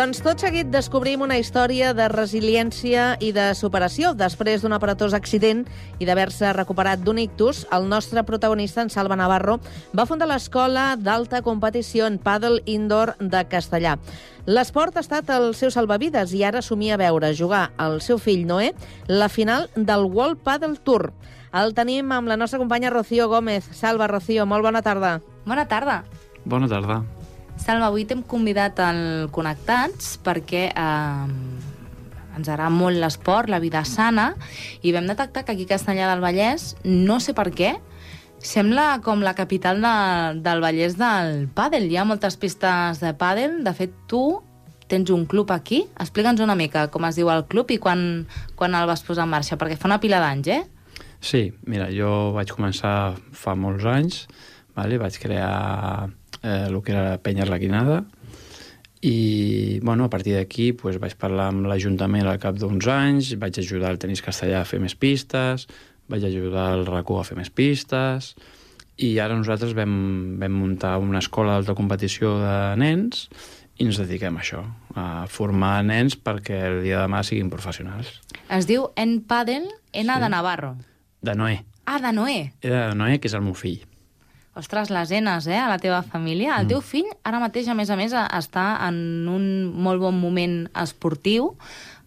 Doncs tot seguit descobrim una història de resiliència i de superació. Després d'un aparatós accident i d'haver-se recuperat d'un ictus, el nostre protagonista, en Salva Navarro, va fundar l'Escola d'Alta Competició en Pàdel Indoor de Castellar. L'esport ha estat el seu salvavides i ara somia veure jugar al seu fill Noé la final del World Padel Tour. El tenim amb la nostra companya Rocío Gómez. Salva, Rocío, molt bona tarda. Bona tarda. Bona tarda. Salva, avui t'hem convidat al Connectats perquè ens agrada molt l'esport, la vida sana, i vam detectar que aquí a Castellar del Vallès, no sé per què, sembla com la capital del Vallès del pàdel. Hi ha moltes pistes de pàdel. De fet, tu tens un club aquí. Explica'ns una mica com es diu el club i quan el vas posar en marxa, perquè fa una pila d'anys, eh? Sí, mira, jo vaig començar fa molts anys, vale? Vaig crear el que era Penya Arlequinada i, bueno, a partir d'aquí pues, vaig parlar amb l'Ajuntament al cap d'uns anys, vaig ajudar el Tenis Castellà a fer més pistes, vaig ajudar el RACU a fer més pistes i ara nosaltres vam muntar una escola d'alta competició de nens i ens dediquem a això, a formar nens perquè el dia de demà siguin professionals. Es diu En-Padel, N Sí. de Navarro. De Noé. Ah, de Noé. Era de Noé, que és el meu fill. Ostres, les enes, a la teva família. El teu fill, ara mateix, a més, està en un molt bon moment esportiu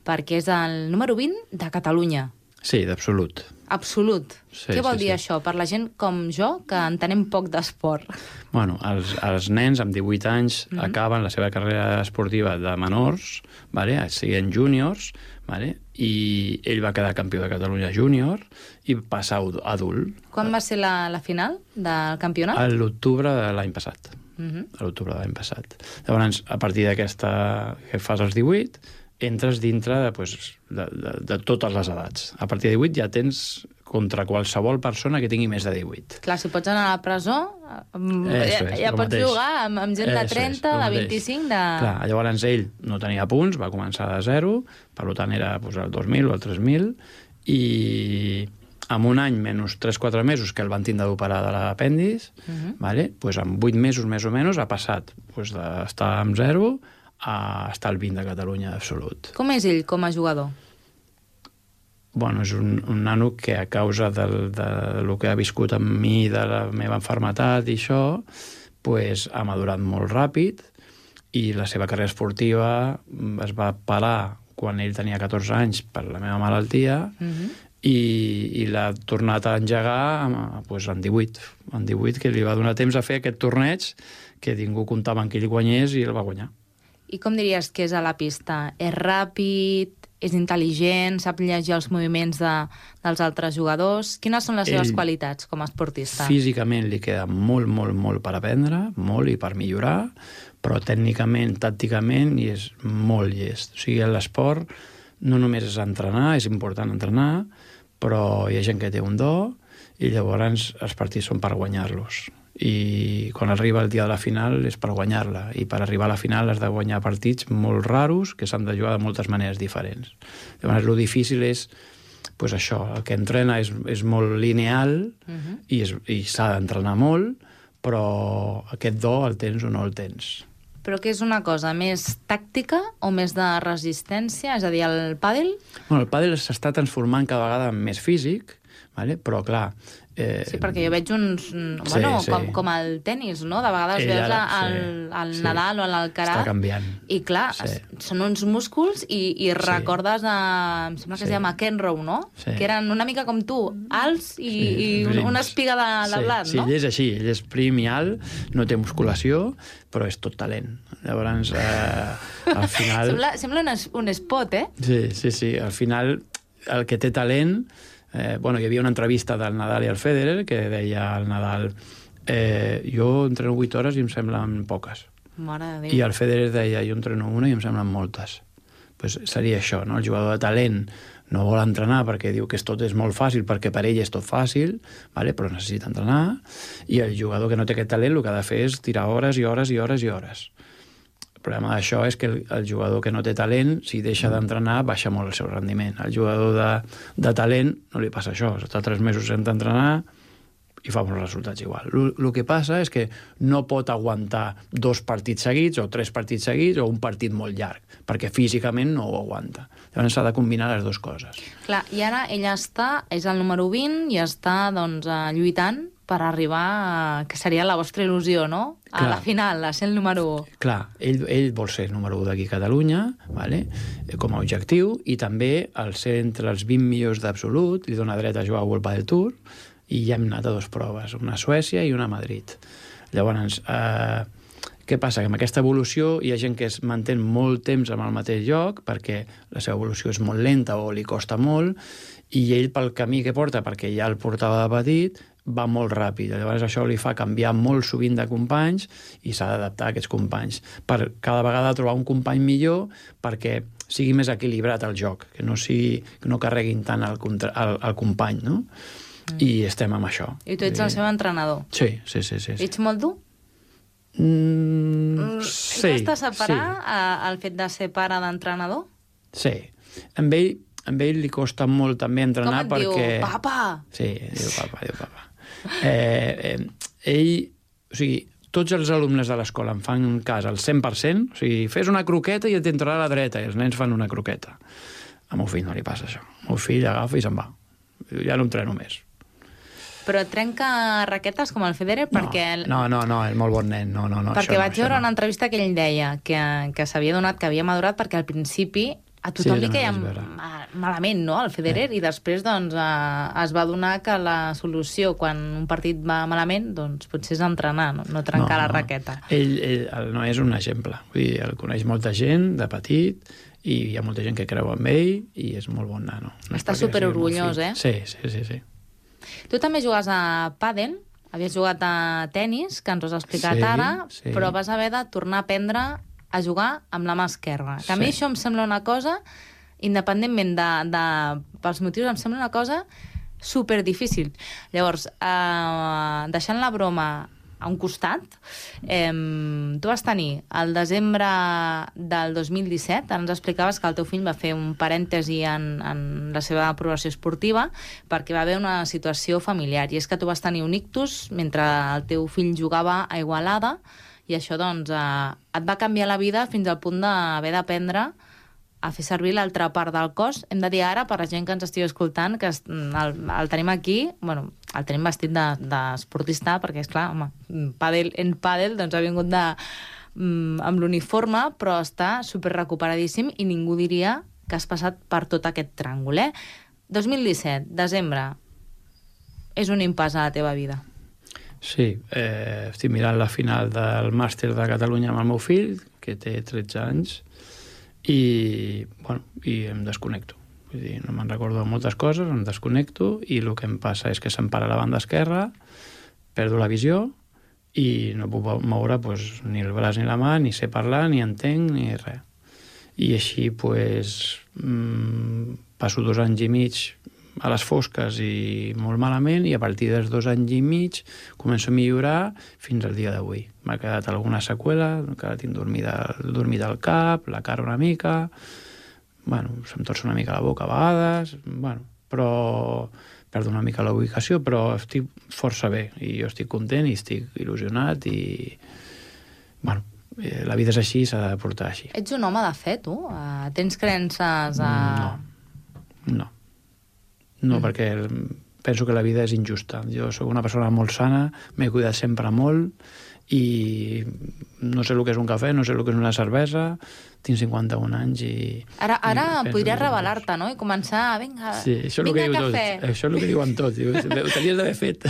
perquè és el número 20 de Catalunya. Sí, d'absolut. Absolut. Sí, Què vol sí, dir sí. això per la gent com jo, que entenem poc d'esport? Bueno, els nens amb 18 anys acaben la seva carrera esportiva de menors, vale? Siguin júniors, vale? I ell va quedar campió de Catalunya júnior i passa a adult. Quan va ser la final del campionat? A l'octubre de l'any passat. A l'octubre de l'any passat. Llavors, a partir d'aquesta que fas els 18, entres dintre de totes les edats. A partir de 18 ja tens contra qualsevol persona que tingui més de 18. Clar, si pots anar a la presó, ja pots mateix. jugar amb gent de 30, de 25, de... Clar, llavors ell no tenia punts, va començar de zero, per tant era el 2.000 o el 3.000, i en un any menys 3-4 mesos que el van tindre d'operar de l'apèndix, vale? Pues en 8 mesos més o menys ha passat d'estar amb zero a estar al 20 de Catalunya absolut. Com és ell com a jugador? Bueno, és un nano que a causa del que ha viscut amb mi, de la meva malaltia i això, pues, ha madurat molt ràpid i la seva carrera esportiva es va parar quan ell tenia 14 anys per la meva malaltia i l'ha tornat a engegar pues, en 18, que li va donar temps a fer aquest torneig que ningú comptava que ell guanyés i el va guanyar. I com diries que és a la pista? És ràpid? És intel·ligent? Sap llegir els moviments dels altres jugadors? Quines són les seves qualitats com a esportista? Físicament li queda molt, molt, molt per aprendre, molt i per millorar, però tècnicament, tàcticament, i és molt llest. O sigui, l'esport no només és entrenar, és important entrenar, però hi ha gent que té un do i llavors els partits són per guanyar-los. I quan arriba el dia de la final és per guanyar-la, i per arribar a la final has de guanyar partits molt raros que s'han de jugar de moltes maneres diferents. Llavors el difícil és pues això, el que entrena és molt lineal i s'ha d'entrenar molt, però aquest do el tens o no el tens. Però què és una cosa, més tàctica o més de resistència? És a dir, el pàdel? Bueno, el pàdel s'està transformant cada vegada en més físic, vale? Però clar... Sí, perquè jo veig uns... Bueno, sí. Com el tenis, no? De vegades veus al Nadal o a l'Alcaraz. Està canviant. I clar, són uns músculs i recordes em sembla que es deia McEnroe, no? Sí. Que eren una mica com tu, alts i una espiga de blat, no? Sí, ell és així, ell és prim i alt, no té musculació, però és tot talent. Llavors, al final... Sembla un spot, eh? Sí, al final el que té talent... Bueno, hi havia una entrevista del Nadal i el Federer que deia al Nadal jo entreno 8 hores i em semblen poques. Mare de Déu. I el Federer deia jo entreno una i em semblen moltes. Pues seria això, no? El jugador de talent no vol entrenar perquè diu que tot és molt fàcil, perquè per ell és tot fàcil, vale? Però necessita entrenar, i el jugador que no té aquest talent el que ha de fer és tirar hores i hores i hores i hores. El problema d'això és que el jugador que no té talent, si deixa d'entrenar, baixa molt el seu rendiment. El jugador de talent no li passa això. Està 3 mesos sense entrenar i fa uns resultats igual. El que passa és que no pot aguantar 2 partits seguits o 3 partits seguits o un partit molt llarg, perquè físicament no ho aguanta. Llavors s'ha de combinar les dues coses. Clar, i ara ella és el número 20 i està doncs, lluitant per arribar a... que seria la vostra il·lusió, no? A la final, a ser el número 1. Clar, ell vol ser el número 1 d'aquí a Catalunya, vale? Com a objectiu, i també al ser entre els 20 millors d'absolut, li dona dret a jugar a World Padel Tour, i ja hem anat a 2 proves, una a Suècia i una a Madrid. Llavors, què passa? Que amb aquesta evolució hi ha gent que es manté molt temps en el mateix lloc perquè la seva evolució és molt lenta o li costa molt, i ell pel camí que porta, perquè ja el portava de petit, va molt ràpid. Llavors això li fa canviar molt sovint de companys i s'ha d'adaptar a aquests companys per cada vegada trobar un company millor perquè sigui més equilibrat el joc, que no carreguin tant el company, no? I estem amb això. I tu ets el seu entrenador? Sí. Ets molt dur? Sí. Costa separar el fet de ser pare d'entrenador? Sí. Amb ell li costa molt també entrenar perquè... Com et diu? Papa! Sí, diu papa. Ell, o sigui, tots els alumnes de l'escola em fan cas al 100%, o sigui, fes una croqueta i et entrarà a la dreta, i els nens fan una croqueta. Al meu fill no li passa això. El meu fill agafa i se'n va. Ja no entreno més. Però et trenca raquetes com el Federer? Perquè... No, és molt bon nen. No, perquè vaig veure una entrevista que ell deia que s'havia donat, que havia madurat, perquè al principi a tothom li queia malament, no?, el Federer, i després doncs, es va adonar que la solució quan un partit va malament doncs potser és entrenar, no trencar la raqueta. Ell no és un exemple. Vull dir, el coneix molta gent de petit i hi ha molta gent que creu en ell i és molt bon nano. Està superorgullós, Sí. Tu també jugues a pàdel, havies jugat a tennis, que ens ho has explicat ara, però vas haver de tornar a aprendre a jugar amb la mà esquerra. Que a mi això em sembla una cosa, independentment pels motius, em sembla una cosa superdifícil. Llavors, deixant la broma a un costat, tu vas tenir el desembre del 2017, ens explicaves que el teu fill va fer un parèntesi en la seva progressió esportiva perquè va haver una situació familiar, i és que tu vas tenir un ictus mentre el teu fill jugava a Igualada, i això doncs et va canviar la vida fins al punt d'haver d'aprendre a fer servir l'altra part del cos. Hem de dir ara, per la gent que ens estigui escoltant, que el tenim aquí, bueno, el tenim vestit d'esportista, perquè, esclar, home, en pàdel doncs, ha vingut amb l'uniforme, però està superrecuperadíssim i ningú diria que has passat per tot aquest tràngol, 2017, desembre, és un impàs a la teva vida. Sí, estic mirant la final del màster de Catalunya amb el meu fill, que té 13 anys, i em desconnecto. Vull dir, no me'n recordo de moltes coses, em desconnecto i el que em passa és que se'm para la banda esquerra, perdo la visió i no puc moure ni el braç ni la mà, ni sé parlar, ni entenc, ni res. I així passo 2 anys i mig a les fosques i molt malament, i a partir dels 2 anys i mig començo a millorar fins al dia d'avui. M'ha quedat alguna seqüela, encara tinc dormit al cap, la cara una mica, se'm torça una mica la boca a vegades, però perdo una mica la ubicació, però estic força bé, i jo estic content i estic il·lusionat, i la vida és així, s'ha de portar així. Ets un home de fe, tu? Tens creences No, perquè penso que la vida és injusta. Jo sóc una persona molt sana, m'he cuidat sempre molt, i no sé el que és un cafè, no sé el que és una cervesa, tinc 51 anys i... Ara podries revelar-te, no?, i començar, vinga cafè. Això és el que diuen tots, ho tenies d'haver fet.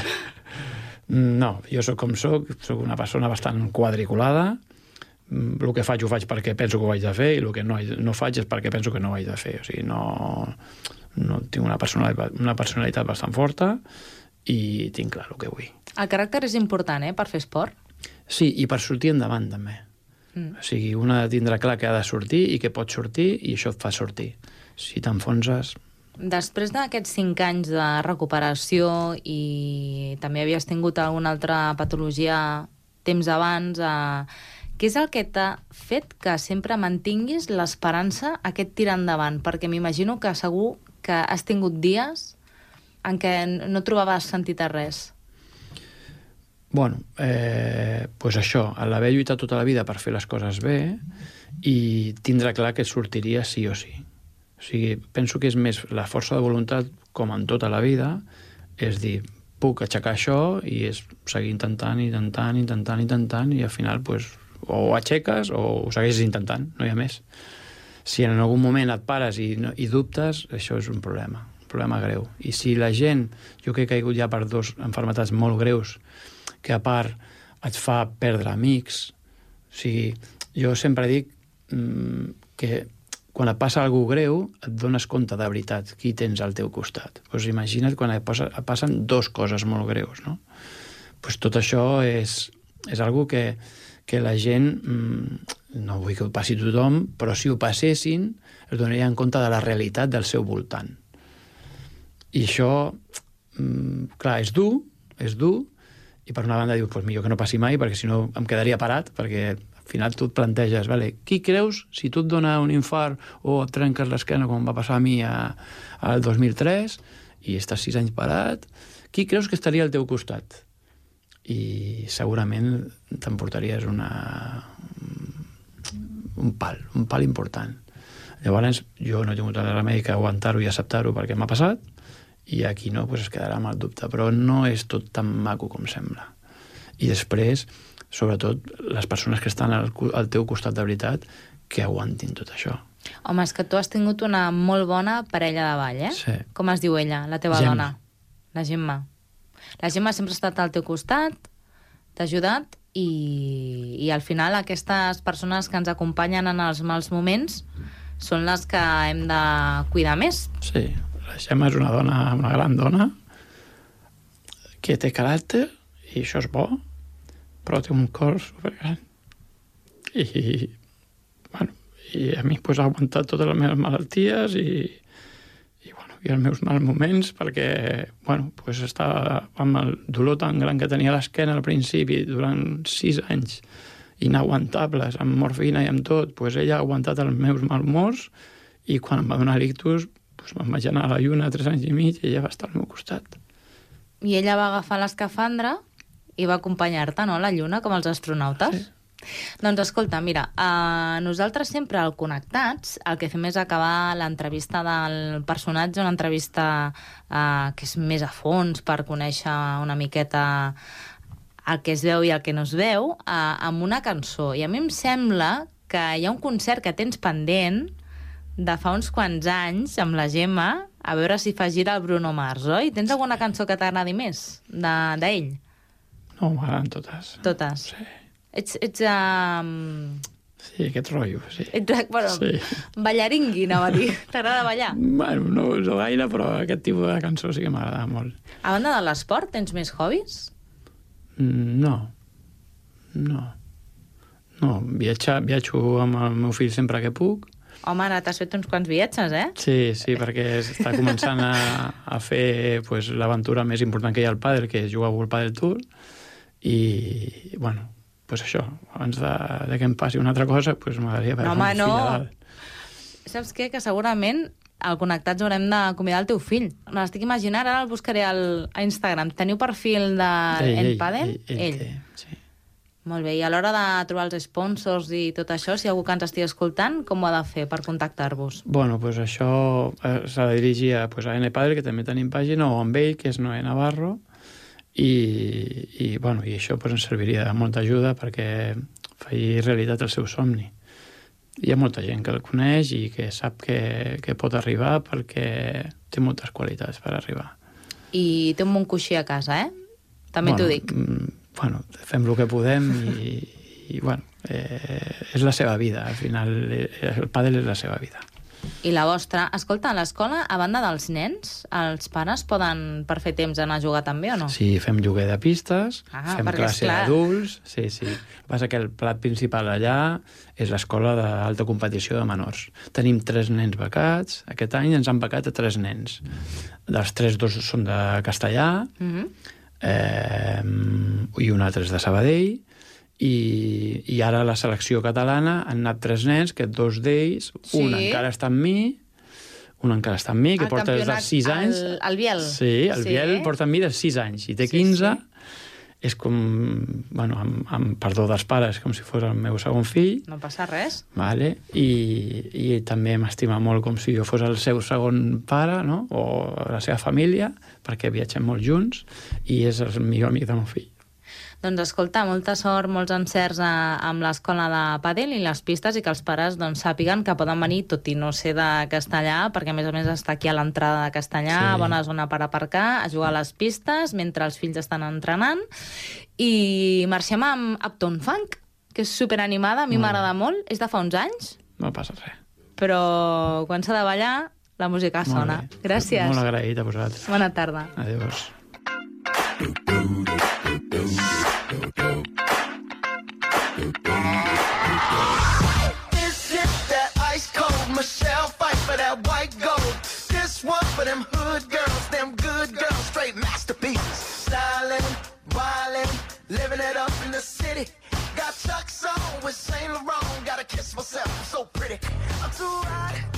No, jo sóc com sóc una persona bastant quadriculada, el que faig ho faig perquè penso que ho haig de fer, i el que no faig és perquè penso que no ho haig de fer. O sigui, no tinc una personalitat bastant forta i tinc clar el que vull. El caràcter és important, per fer esport? Sí, i per sortir endavant, també. O sigui, un ha de tindre clar que ha de sortir i que pot sortir, i això et fa sortir. Si t'enfonses... Després d'aquests 5 anys de recuperació i també havies tingut alguna altra patologia temps abans, què és el que t'ha fet que sempre mantinguis l'esperança, aquest tirar endavant? Perquè m'imagino que segur que has tingut dies en què no trobaves sentit a res. Bueno, pues això, l'haver lluitat tota la vida per fer les coses bé i tindre clar que sortiria sí o sí. O sigui, penso que és més la força de voluntat, com en tota la vida, és dir, puc aixecar això i és seguir intentant i al final pues, o ho aixeques o ho segueixes intentant, no hi ha més. Si en algun moment et pares i dubtes, això és un problema greu. I si la gent, jo que he caigut ja per 2 malalties molt greus, que a part et fa perdre amics, o sigui, jo sempre dic que quan et passa alguna greu et dones compte de veritat qui tens al teu costat. Pues imagina't quan et passen 2 coses molt greus, no? Pues tot això és algo que la gent, no vull que ho passi tothom, però si ho passessin es donarien compte de la realitat del seu voltant. I això, clar, és dur, i per una banda dius, pues millor que no passi mai, perquè si no em quedaria parat, perquè al final tu et planteges, vale, qui creus, si tu et dona un infart o et trenques l'esquena, com va passar a mi al 2003, i estàs 6 anys parat, qui creus que estaria al teu costat? I segurament t'emportaries un pal important. Llavors, jo no he tingut el remei que aguantar-ho i acceptar-ho perquè m'ha passat, i aquí no, pues es quedarà amb el dubte. Però no és tot tan maco com sembla. I després, sobretot, les persones que estan al teu costat de veritat, que aguantin tot això. Home, és que tu has tingut una molt bona parella de ball, eh? Sí. Com es diu ella, la teva Gemma. dona? La Gemma. La Gemma sempre ha estat al teu costat, t'ha ajudat, i al final aquestes persones que ens acompanyen en els mals moments són les que hem de cuidar més. Sí, la Gemma és una gran dona, que té caràcter, i això és bo, però té un cor supergran. I a mi pues, ha aguantat totes les meves malalties i els meus mals moments, perquè pues, estava amb el dolor tan gran que tenia a l'esquena al principi durant 6 anys, inaguantables, amb morfina i amb tot, pues, ella ha aguantat els meus malhumors i quan em va donar l'ictus pues, me'n vaig anar a la lluna 3 anys i mig i ella va estar al meu costat. I ella va agafar l'escafandra i va acompanyar-te, no?, a la lluna, com els astronautes. Sí. Doncs escolta, mira, nosaltres sempre al Connectats el que fem és acabar l'entrevista del personatge, una entrevista que és més a fons per conèixer una miqueta el que es veu i el que no es veu, amb una cançó. I a mi em sembla que hi ha un concert que tens pendent de fa uns quants anys amb la Gemma, a veure si fa gira el Bruno Mars, oi? Tens alguna cançó que t'agradi més d'ell? No, m'agraden totes. Totes? Sí. Ets Sí, aquest rotllo, sí. Sí. Ballaringui, anava a dir. T'agrada ballar? Bueno, no gaire, però aquest tipus de cançó sí que m'agrada molt. A banda de l'esport, tens més hobbies? No. Viatjo amb el meu fill sempre que puc. Home, ara t'has fet uns quants viatges, eh? Sí, perquè està començant a fer pues, l'aventura més important que hi ha al pàdel, que és jugar al Pàdel Tour. I, pues això, abans de que em passi una altra cosa, pues m'agradaria veure un fill a dalt. Saps què? Que segurament al Connectats haurem de convidar el teu fill. Me l'estic imaginant, ara el buscaré a Instagram. Teniu perfil d'en Pàdel? Ell té, sí. Molt bé, i a l'hora de trobar els sponsors i tot això, si hi ha algú que ens estigui escoltant, com ho ha de fer per contactar-vos? Pues això s'ha de dirigir a N-Padel, que també tenim pàgina, o amb ell, que és Noé Navarro, i això pues, ens serviria de molta ajuda perquè faci realitat el seu somni. Hi ha molta gent que el coneix i que sap que pot arribar perquè té moltes qualitats per arribar. I té un bon coixí a casa, També t'ho dic. Fem el que podem i és la seva vida. Al final, el pàdel és la seva vida. I la vostra? Escolta, a l'escola, a banda dels nens, els pares poden per fer temps anar a jugar també o no? Sí, fem lloguer de pistes, fem classe d'adults. Sí. El que passa que el plat principal allà és l'escola d'alta competició de menors. Tenim 3 nens becats. Aquest any ens han becat a 3 nens. Dels 3, 2 són de castellà, i un altre és de Sabadell, i ara a la selecció catalana han anat 3 nens, que 2 d'ells, un encara està amb mi, que porta des de 6 anys. El Biel. Sí, el Biel porta amb mi de 6 anys, i té 15, és com, bueno, amb perdó dels pares, com si fos el meu segon fill. No passa res. Vale? I també m'estima molt com si jo fos el seu segon pare, no? O la seva família, perquè viatgem molt junts, i és el millor amic del meu fill. Doncs escolta, molta sort, molts encerts amb l'escola de pàdel i les pistes, i que els pares sàpiguen que poden venir, tot i no ser de Castellà, perquè a més està aquí a l'entrada de Castellà, sí. Bona zona per aparcar, a jugar a les pistes mentre els fills estan entrenant. I marxem amb Uptown Funk, que és superanimada, a mi m'agrada molt, és de fa uns anys. No passa res. Però quan s'ha de ballar, la música sona. Gràcies. Molt agraït a vosaltres. Bona tarda. Adéus. This is that ice cold Michelle fight for that white gold. This one for them hood girls, them good girls, straight masterpieces. Styling, wildin', living it up in the city. Got Chuck's on with Saint Laurent, gotta kiss myself, I'm so pretty. I'm too hot.